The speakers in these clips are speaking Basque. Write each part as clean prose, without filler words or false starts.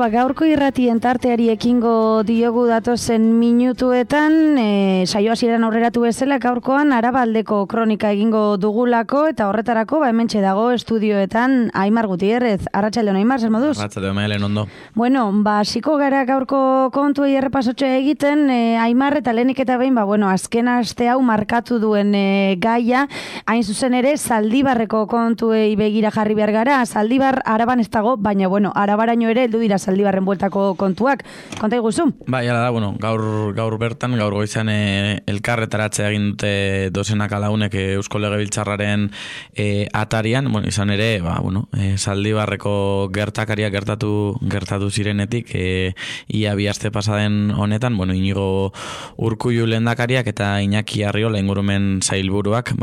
gaurko irratien tarteari ekingo diogu datozen minutuetan, saio hasieran aurreratu bezala gaurkoan Arabaldeko kronika egingo dugulako eta horretarako hementxe dago estudioetan Aimar Gutierrez. Arratsaldeon Aimar, zer moduz? Arratsaldeon Maialen, ondo. Bueno, hasiko gara gaurko kontuei errepasotxo egiten, Aimar eta lehenik eta behin, azken aste hau markatu duen gaia, hain zuzen ere Zaldibarreko kontuei begira jarri behar gara. Zaldibar Araban ez dago, baina Arabaraino ere heldu dira Zaldibarren bueltako kontuak. Konta iguzu? Bai, hala da, gaur bertan, gaur goizan elkarretaratzea egin dute dozenaka lagunek Eusko Legebiltzarraren atarian, izan ere, Zaldibarreko gertakaria gertatu zirenetik, ia bi aste pasaden honetan, Inigo Urkullu lehendakariak eta Iñaki Arriola ingurumen sailburuak,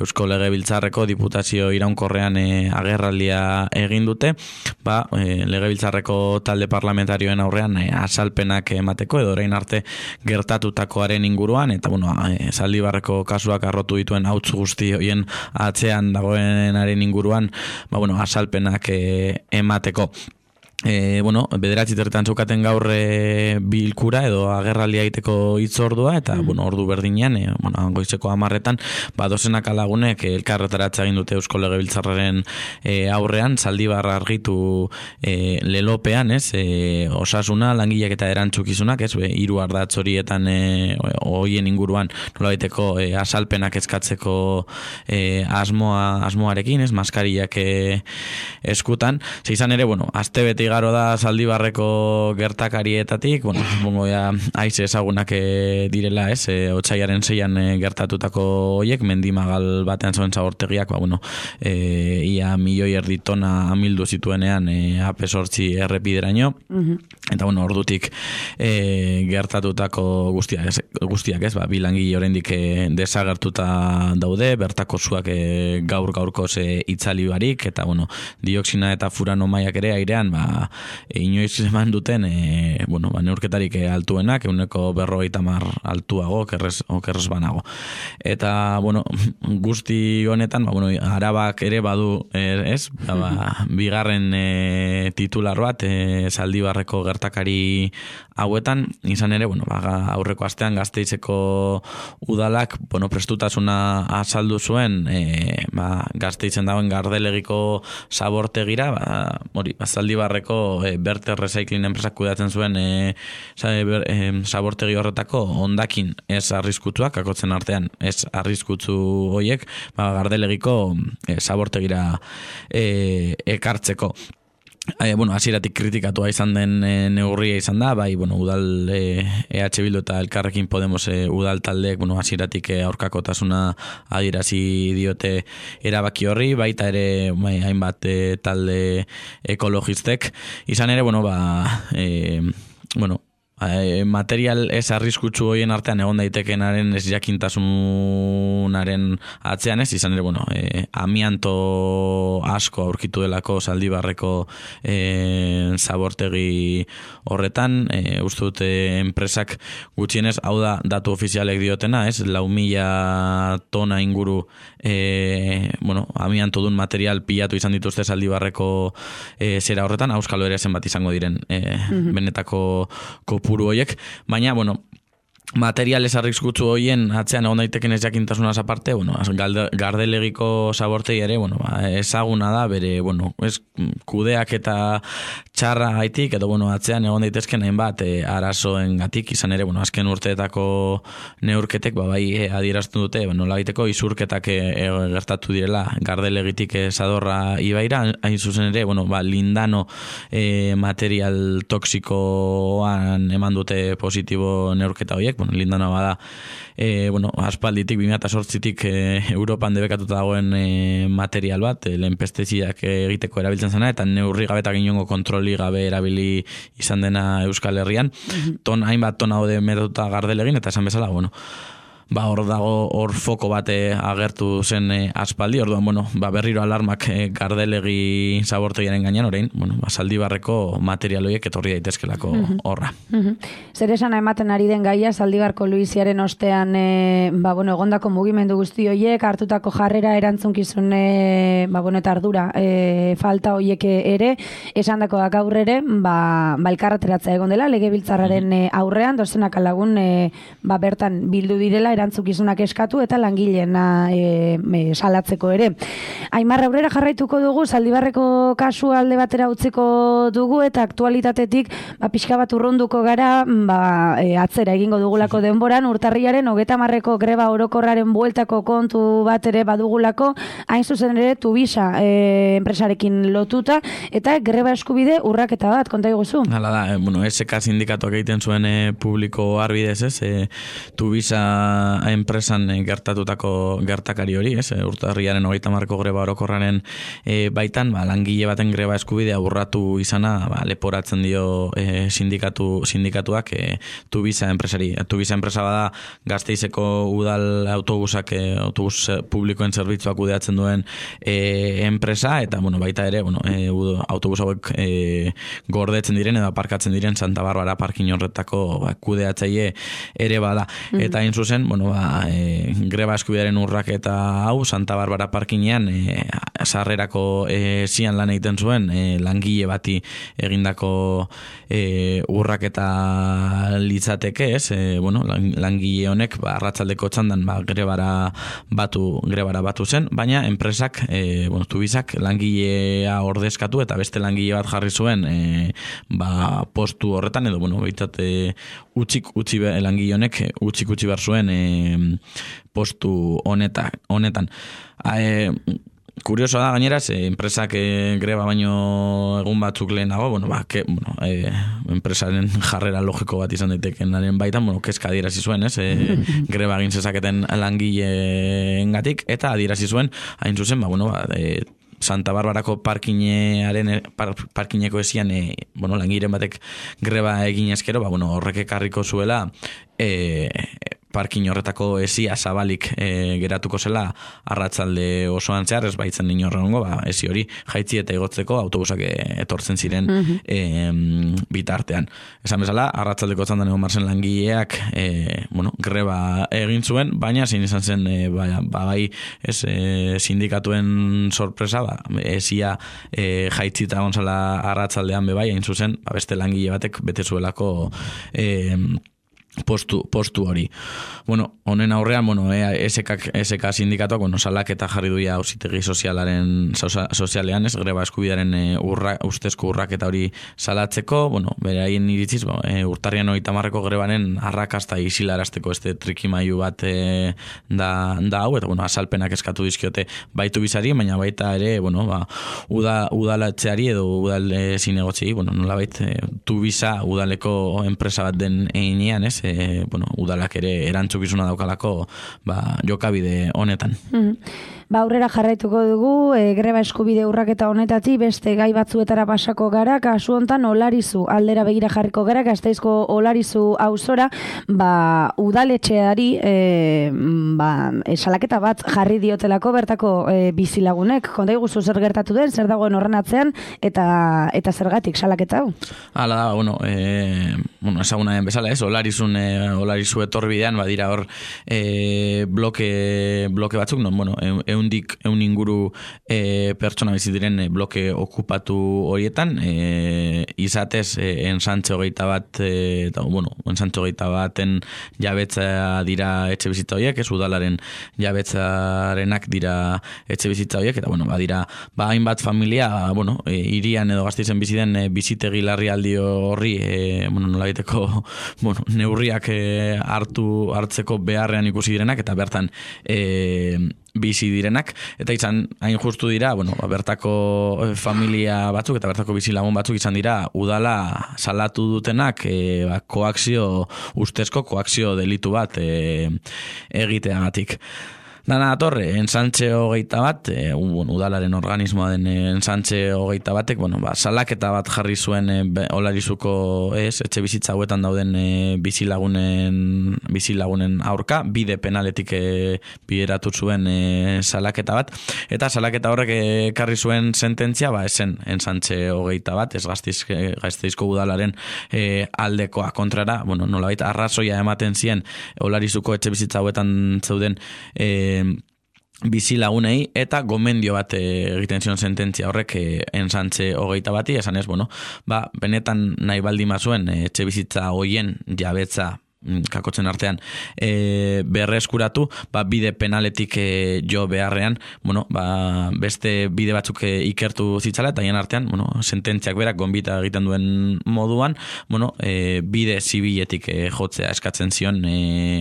Eusko Legebiltzarreko diputazio iraunkorrean agerraldia egin dute, Legebiltzarreko talde parlamentarioen aurrean azalpenak emateko edo orain arte gertatutakoaren inguruan eta Zaldibarreko kasuak arrotu dituen hauts guzti hoien atzean dagoenaren inguruan azalpenak emateko. Bederatzi terretan zeukaten gaur bilkura edo agerraldia egiteko hitzordua eta ordu berdinean, goizeko 10etan, dozenaka lagunek elkarretaratza egin dute Eusko Legebiltzarraren aurrean, Zaldibar argitu lelopean, osasuna, langileak eta erantzukizunak, hiru ardatz horietan hoien inguruan nolabaiteko azalpenak eskatzeko asmoarekin, maskariak eskutan. Izan ere, astebete igaro da Zaldibarreko gertakarietatik, haize ezagunak direla, otsaiaren 6an gertatutako hoiek, mendimagal batean zoen zabortegiak, ia 1,5 milioi tona amildu zituenean AP8 errepideraino, eta ordutik gertatutako guztiak, bi langile oraindik desagertuta daude, bertako zuak gaur-gaurkoz itzali barik, eta dioxina eta furano mailak ere airean, inoiz eman duten neurketarik altuenak, 150 altuago, okerrez banago. Eta, guzti honetan, Arabak ere badu, bigarren titular bat, Zaldibarreko gertakari hauetan, izan ere, aurreko astean Gasteizeko udalak, prestutasuna azaldu zuen, Gasteizen dagoen Gardelegiko zabortegira, Zaldibarreko Berter Recycling enpresak kudeatzen zuen zabortegi horretako hondakin ez arriskutsuak, akotzen artean ez arriskutsu hoiek, Gardelegiko zabortegira ekartzeko. Hasieratik kritikatua izan den neurria izan da, udal EH Bildu eta Elkarrekin Podemos udal taldeek, hasieratik aurkakotasuna adierazi diote erabaki horri, baita ere hainbat talde ekologistek. Izan ere, material ez arriskutsu hoien artean egon daitekenaren ez jakintasunaren atzean izan ere, amianto asko aurkitu delako Zaldibarreko zabortegi horretan, uste dute enpresak gutxienez, hau da datu ofizialek diotena, 4.000 tona inguru amianto dun material pilatu izan dituzte Zaldibarreko zera horretan, auskalo ere zenbat izango diren benetako kopuru horiek, baina, material ez arriskutsu hoien atzean egon daiteken ez jakintasunaz aparte, Gardelegiko zabortegi ere, ezaguna da, bere, ez kudeak eta txarra gaitik, edo, atzean egon daitezken hainbat arazoengatik, izan ere, azken urteetako neurketek, adierazten dute, nola gaiteko izurketak gertatu direla Gardelegitik Zadorra ibaira, hain zuzen ere, lindano material toksikoan eman dute positibo neurketa horiek, lindano bada, aspalditik, 2008tik Europan debekatuta dagoen material bat, lehen pestizidak egiteko erabiltzen zena, eta neurri gabe eta inongo kontroli gabe erabili izan dena Euskal Herrian. Hainbat tona hode metatuta Gardelegin, eta esan bezala, hor dago, hor foko bate agertu zen aspaldi, orduan, berriro alarmak gardelegi zabortoiaren gainean, orain, Zaldibarreko materialoiek etorri daitezkelako horra. Zer esan ematen ari den gaia, Zaldibarko Luiziaren ostean, egondako mugimendu guzti horiek, hartutako jarrera erantzunkizun, eta ardura, falta horiek ere, esandako da gaur ere, elkarreteratzea egon dela, legebiltzarraren aurrean, dozenaka lagun, bertan bildu direla, erantzukizunak eskatu eta langileena salatzeko ere. Aimar, aurrera jarraituko dugu, Zaldibarreko kasu alde batera utziko dugu eta aktualitatetik pixka bat urrunduko gara atzera egingo dugulako denboran, urtarriaren 30ko greba orokorraren bueltako kontu bat ere badugulako, hain zuzen ere Tuvisa enpresarekin lotuta eta greba eskubide urraketa bat, konta iguzu? Hala da, SK sindikatuak egiten zuen publiko arbidez, Tuvisa enpresan gertatutako gertakari hori, urtarriaren 30ko greba orokorraren baitan, langile baten greba eskubidea urratu izana, leporatzen dio sindikatuak Tuvisa enpresari. Tuvisa enpresa bada Gasteizeko udal autobus publikoen zerbitzuak kudeatzen duen enpresa, eta baita ere, autobus hauek gordetzen diren edo aparkatzen diren Santa Barbara parkin horretako kudeatzaile ere bada. Eta hain zuzen, greba eskubidearen urraketa hau Santa Barbara parkinean sarrerako zian lan egiten zuen langile bati egindako urraketa litzateke, langile honek arratsaldeko txandan grebara batu zen, baina enpresak, Tuvisak langilea ordezkatu eta beste langile bat jarri zuen postu horretan, edo behitat utzi langile honek utzi behar zuen postu honetan. Kuriosoa da gainera, enpresak greba baino egun batzuk lehenago, enpresaren jarrera logiko bat izan daitekenaren baitan, kezka adierazi zuen, greba egin zezaketen langileengatik, eta adierazi zuen, hain zuzen, Santa Barbarako parkineko ezian, langileen batek greba egin eskero, horrek ekarriko zuela, parkin horretako ezia zabalik geratuko zela arratsalde osoan zehar, ez baitzen inorrengo, ezi hori jaitzi eta igotzeko autobusak etortzen ziren bitartean. Esan bezala, arratsaldeko txandan egon marzen langileak greba egin zuen, baina zein izan zen sindikatuen sorpresa, ezia jaitzi eta gonzala arratsaldean bebai, hain zuzen, beste langile batek bete zuelako postu hori. Honen aurrean, SK sindikatuak, salaketa jarri duia auzitegi sozialean, greba eskubidearen ustezko urraketa hori salatzeko, beraien iritziz, urtarrian 30ko grebaren arrakasta isilarazteko trikimailu bat da hau, eta azalpenak eskatu dizkiote baitu bizari, baina baita ere, udalatzeari edo udal zinegotzi, nolabait, Tuvisa udaleko enpresa bat den einean, udalak ere erantzukizuna daukalako jokabide honetan. Aurrera jarraituko dugu, greba eskubide urraketa honetatik beste gai batzuetara pasako gara, kasu hontan Olarizu aldera begira jarriko gara, Gasteizko Olarizu auzora, udaletxeari salaketa bat jarri diotelako bertako bizilagunek. Konta iguzu zer gertatu den, zer dagoen horren atzean, eta zergatik salaketa hau? Hala da, ezaguna den bezala, Olarizu etorbidean, badira hor bloke batzuk, eun inguru pertsona bizi diren bloke okupatu horietan, izatez ensantze 21 baten jabetza dira etxe bizitza horiek, ez udalaren jabetzarenak dira etxe bizitza horiek, eta badira hainbat familia, irian edo Gasteizen bizi den bizitegi larrialdi horri nolabiteko neurriak hartzeko beharrean ikusi direnak, eta bertan bizi direnak, eta izan hain justu dira, bertako familia batzuk eta bertako bizilagun batzuk izan dira udala salatu dutenak ustezko koakzio delitu bat egiteagatik. Dana datorre, ensantxe 21, udalaren organismoa den ensantxe 21, salaketa bat jarri zuen Olarizuko etxe bizitza hauetan dauden bizilagunen aurka, bide penaletik bideratu zuen salaketa bat, eta salaketa horrek ekarri zuen sententzia, esen ensantxe 21, ez Gasteizko udalaren aldekoa kontrara, nolabait arrazoia ematen zien Olarizuko etxe bizitza hauetan zeuden bizilagunei, eta gomendio bat egiten zion sententzia horrek ensantxe 21, esanez, benetan nahi baldin bazuen etxe bizitza hoien jabetza kakotzen artean berreskuratu, bide penaletik jo beharrean, beste bide batzuk ikertu zitzala, eta hien artean, sententziak berak gonbita egiten duen moduan, bide zibiletik jotzea eskatzen zion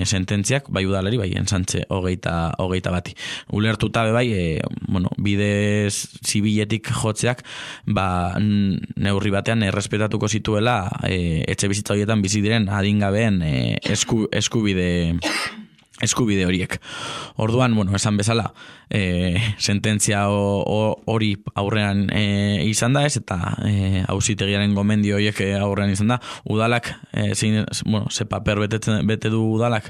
sententziak, bai udalari, bai ensantxe 21. Ulertuta bide zibiletik jotzeak, neurri batean errespetatuko zituela etxe bizitza horietan bizi diren adingabeen eskubide horiek. Orduan, esan bezala, sententzia hori aurrean izan da ez, eta auzitegiaren gomendio horiek aurrean izan da, udalak, ze paper bete du udalak,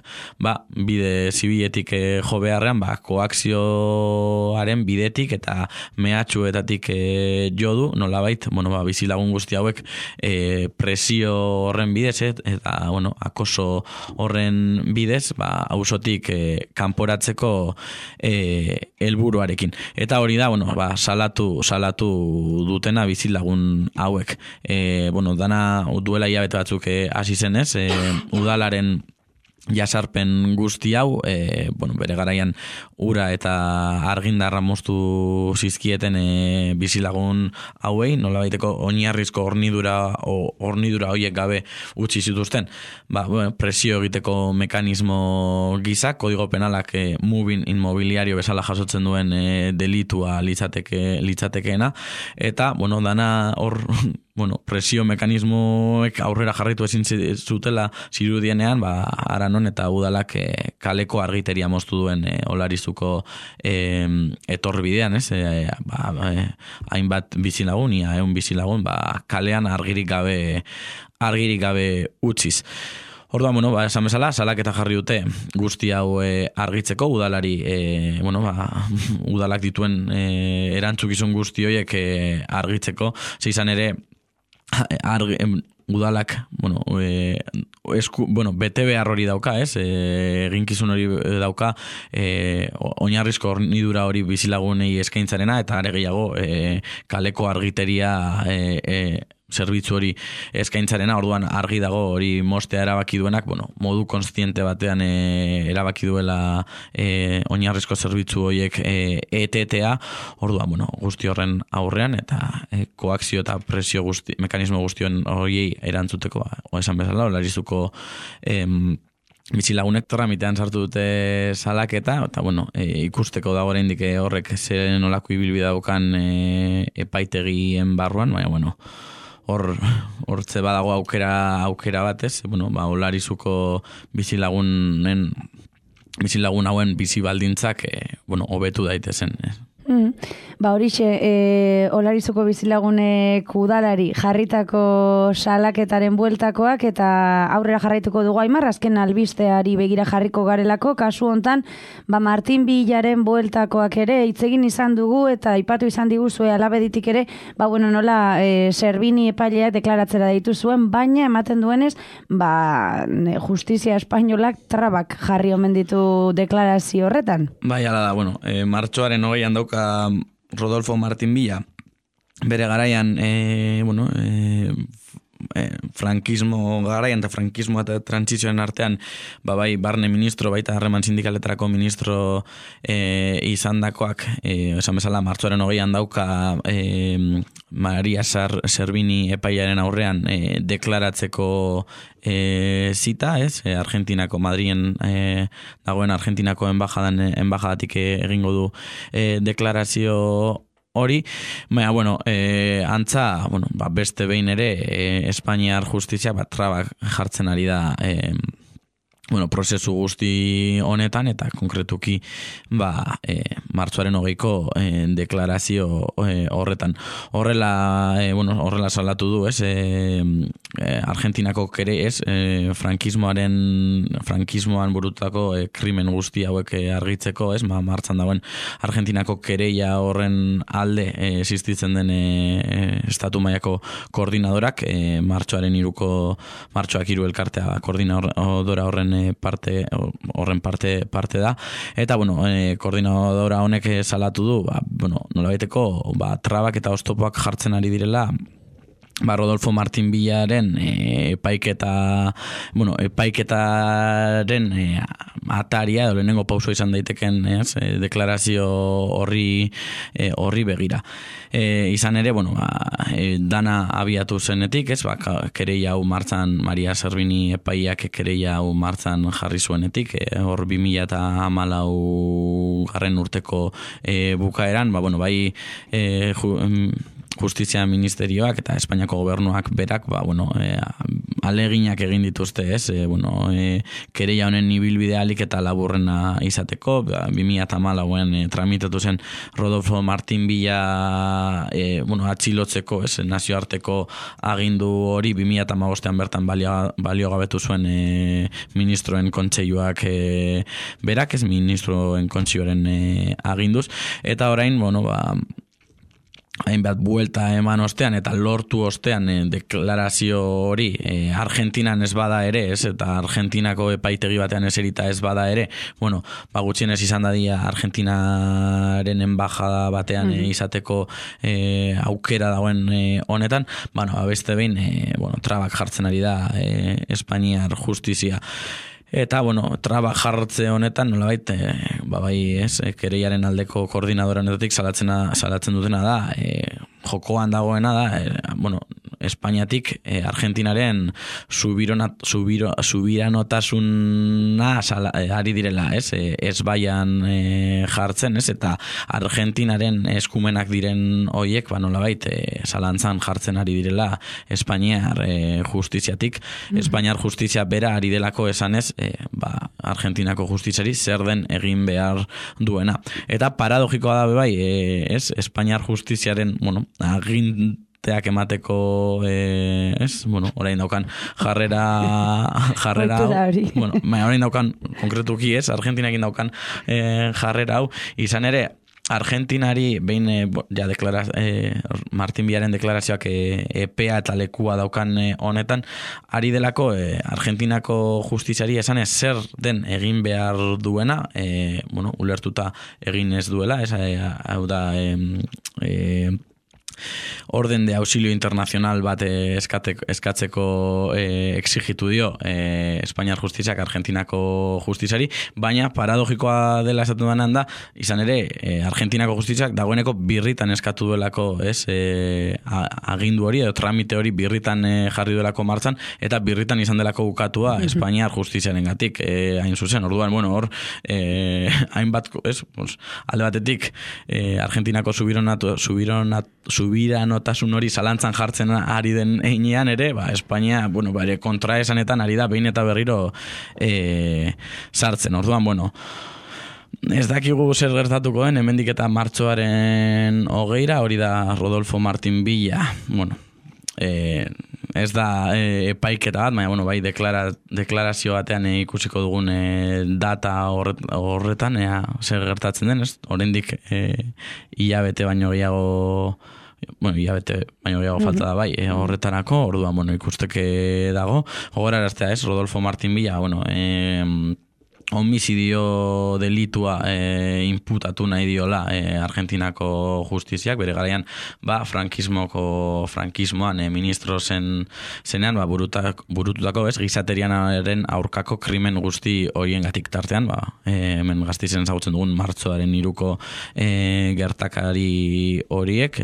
bide zibiletik jo beharrean, koakzioaren bidetik eta mehatxuetatik jo du, nolabait, bizilagun guzti hauek presio horren bidez, eta, akoso horren bidez, auzotik kanporatzeko helburuarekin. Eta hori da, salatu dutena bizilagun hauek. Dana duela hilabete batzuk hasi zenez, udalaren jasarpen guzti hau, bere garaian ura eta argindarra moztu zizkieten bizilagun hauei, nolabaiteko oinarrizko hornidura horiek gabe utzi zituzten, presio egiteko mekanismo gisa, kodigo penalak moving inmobiliario bezala jasotzen duen delitua litzatekeena, eta, dana hor, presio mekanismoek aurrera jarraitu ezin zutela zirudienean, Aranon eta udalak kaleko argiteria moztu duen Olarizuko etorbidean, hainbat bizilagun, ehun bizilagun, kalean argirik gabe utziz. Orduan, esan bezala, salaketa jarri dute guzti hau argitzeko, udalari, udalak dituen erantzukizun guzti horiek argitzeko, izan ere, udalak, bete behar hori dauka, eginkizun hori dauka, oinarrizko hornidura hori bizilagunei eskaintzarena, eta are gehiago kaleko argiteria zerbitzu hori eskaintzarena, orduan argi dago hori mostea erabaki duenak, modu konstiente batean erabaki duela oinarrizko zerbitzu horiek etetea, orduan, guzti horren aurrean, eta koakzio eta presio mekanismo guztion horiei erantzuteko, esan bezala, Olarizuko bizilagunek tramitean sartu dute salaketa, eta ikusteko dago oraindik horrek zer nolako ibilbide daukan epaitegien barruan, baina hortze badago aukera batez, Olarizuko bizilagun hauen bizi baldintzak hobetu daitezen. Horixe, Olarizuko bizilagunek udalari jarritako salaketaren bueltakoak, eta aurrera jarraituko dugu Aimar, azken albisteari begira jarriko garelako, kasu hontan, Martin Villaren bueltakoak ere hitzegin izan dugu, eta aipatu izan diguzue alabeditik ere, nola Servini epaileak deklaratzera deitu zuen, baina ematen duenez, justizia espainolak trabak jarri omen ditu deklarazio horretan. Bai, ala da, martxoaren 20an dauka Rodolfo Martin Villa, bere garaian, frankismo garaian eta frankismo eta trantsizioen artean, barne ministro, baita harreman sindikaletarako ministro izandakoak, esan bezala, martxoaren 20an dauka Maria Servini epaiaren aurrean deklaratzeko zita, Argentinako, Madrien dagoen Argentinako enbajadatik egingo du deklarazio hori, antza, beste behin ere, Espainiar justizia trabak jartzen ari da prozesu guzti honetan eta konkretuki martxoaren 20ko deklarazio horretan. Horrela salatu du, Argentinako kere, frankismoan burutako krimen guzti hauek argitzeko, martxan dagoen Argentinako kereia horren alde existitzen den estatu mailako koordinadorak, martxoak 3 elkartea koordinadora horren parte da, eta koordinadora honek salatu du, nolabaiteko trabak eta oztopoak jartzen ari direla Rodolfo Martín Villaren epaiketaren ataria, lehenengo pauso izan daiteken deklarazio horri begira. Izan ere, dana abiatu zenetik, kereia hau martzan, Maria Servini epaiak kereia hau martzan jarri zuenetik, hor 2014 garren urteko bukaeran, Justizia Ministerioak eta Espainiako gobernuak berak aleginak egin dituzte, kereia honen ibilbide ahalik eta laburrena izateko. 2014 tramitatu zen Rodolfo Martín Villa atxilotzeko, nazioarteko agindu hori 2015 bertan baliogabetu zuen ministroen kontseiluak berak, ministroen kontseiluaren aginduz, eta orain hainbat buelta eman ostean eta lortu ostean deklarazio hori Argentinan ez bada ere, eta Argentinako epaitegi batean eserita ez bada ere, gutxienez izan dadia Argentinaren enbajada batean izateko aukera dagoen honetan, beste behin trabak jartzen ari da Espainiar justizia. Eta, traba jartze honetan, nolabait, kereiaren aldeko koordinadora honetatik salatzen dutena da, jokoan dagoena da, Espainiatik Argentinaren subiranotasuna ari direla, ez baian jartzen, eta Argentinaren eskumenak diren hoiek, nolabait, zalantzan jartzen ari direla Espainiar justiziatik. Espainiar justizia bera ari delako esanez, Argentinako justiziari zer den egin behar duena. Eta paradogikoa da bai, Espainiar justiziaren, aginteak emateko, orain daukan jarrera, orain daukan konkretuki Argentinakin daukan jarrera hau, izan ere, Argentinari behin Martín Villaren deklarazioak epea eta lekua daukan honetan, ari delako Argentinako justiziari esanez zer den egin behar duena, ulertuta egin ez duela, hau da orden de auxilio internacional bat eskatzeko exigitu dio Espainiar justiziak Argentinako justiziari, baina paradogikoa dela esaten denan da, izan ere Argentinako justiziak dagoeneko birritan eskatu duelako agindu hori edo tramite hori birritan jarri duelako martzan, eta birritan izan delako bukatua Espainiar justiziaren gatik, hain zuzen, orduan, hor hainbat, alde batetik Argentinako subiranotasun hori zalantzan jartzen ari den heinean ere, Espainia, bare kontraesanetan ari da behin eta berriro sartzen. Orduan, ez dakigu zer gertatuko den, hemendik eta martxoaren 20, hori da Rodolfo Martín Villa, ez da epaiketa bat, baina bai deklarazio batean ikusiko dugun data horretan, zer gertatzen den, oraindik hilabete baino gehiago falta da bai, horretarako, orduan, ikusteke dago. Gogoraraztea Rodolfo Martín Villa, homicidio delitua imputatu nahi diola Argentinako justiziak, bere garaian frankismoan ministro zenean burututako gizaterianaren aurkako krimen guzti horien tartean, hemen Gasteizen ezagutzen dugun martxoaren 3ko gertakari horiek,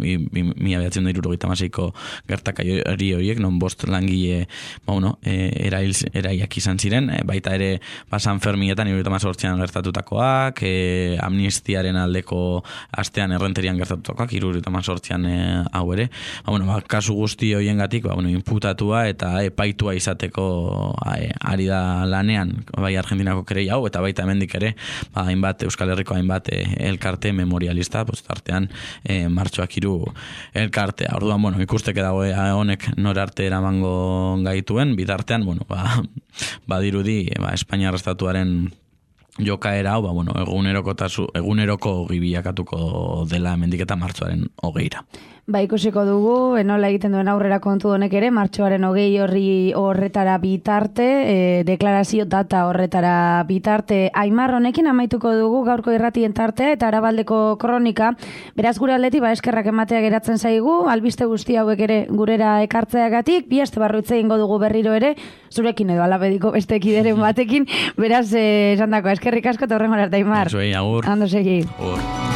1976ko gertakari horiek, non 5 langile eraiak izan ziren, baita ere San Ferminetan 78an gertatutakoak, amnistiaren aldeko astean errenterian gertatutakoak, 78an hau ere. Kasu guzti hoiengatik, inputatua eta epaitua izateko ari da lanean, bai Argentinako kerei hau, eta baita hemendik ere, hainbat Euskal Herriko hainbat elkarte memorialista, tartean Martxoak 3 elkartea. Orduan, ikusteke dago honek norarte eramango gaituen, bitartean, badirudi, Espainiar estatuaren jokaera hau, eguneroko gibiakatuko dela hemendik eta martxoaren 20ra. Ikusiko dugu, nola egiten duen aurrera kontu honek ere, martxoaren 20 horretara bitarte, deklarazio data horretara bitarte. Aimar, honekin amaituko dugu gaurko irratien tartea eta Arabaldeko kronika. Beraz gure aldetik, eskerrak ematea geratzen zaigu, albiste guzti hauek ere gurera ekartzeagatik, bi aste barru hitz egingo dugu berriro ere, zurekin edo alabediko beste kideren batekin, beraz, esan dako, eskerrik asko eta horrengora arte, Aimar. Agur. Ando segi. Agur.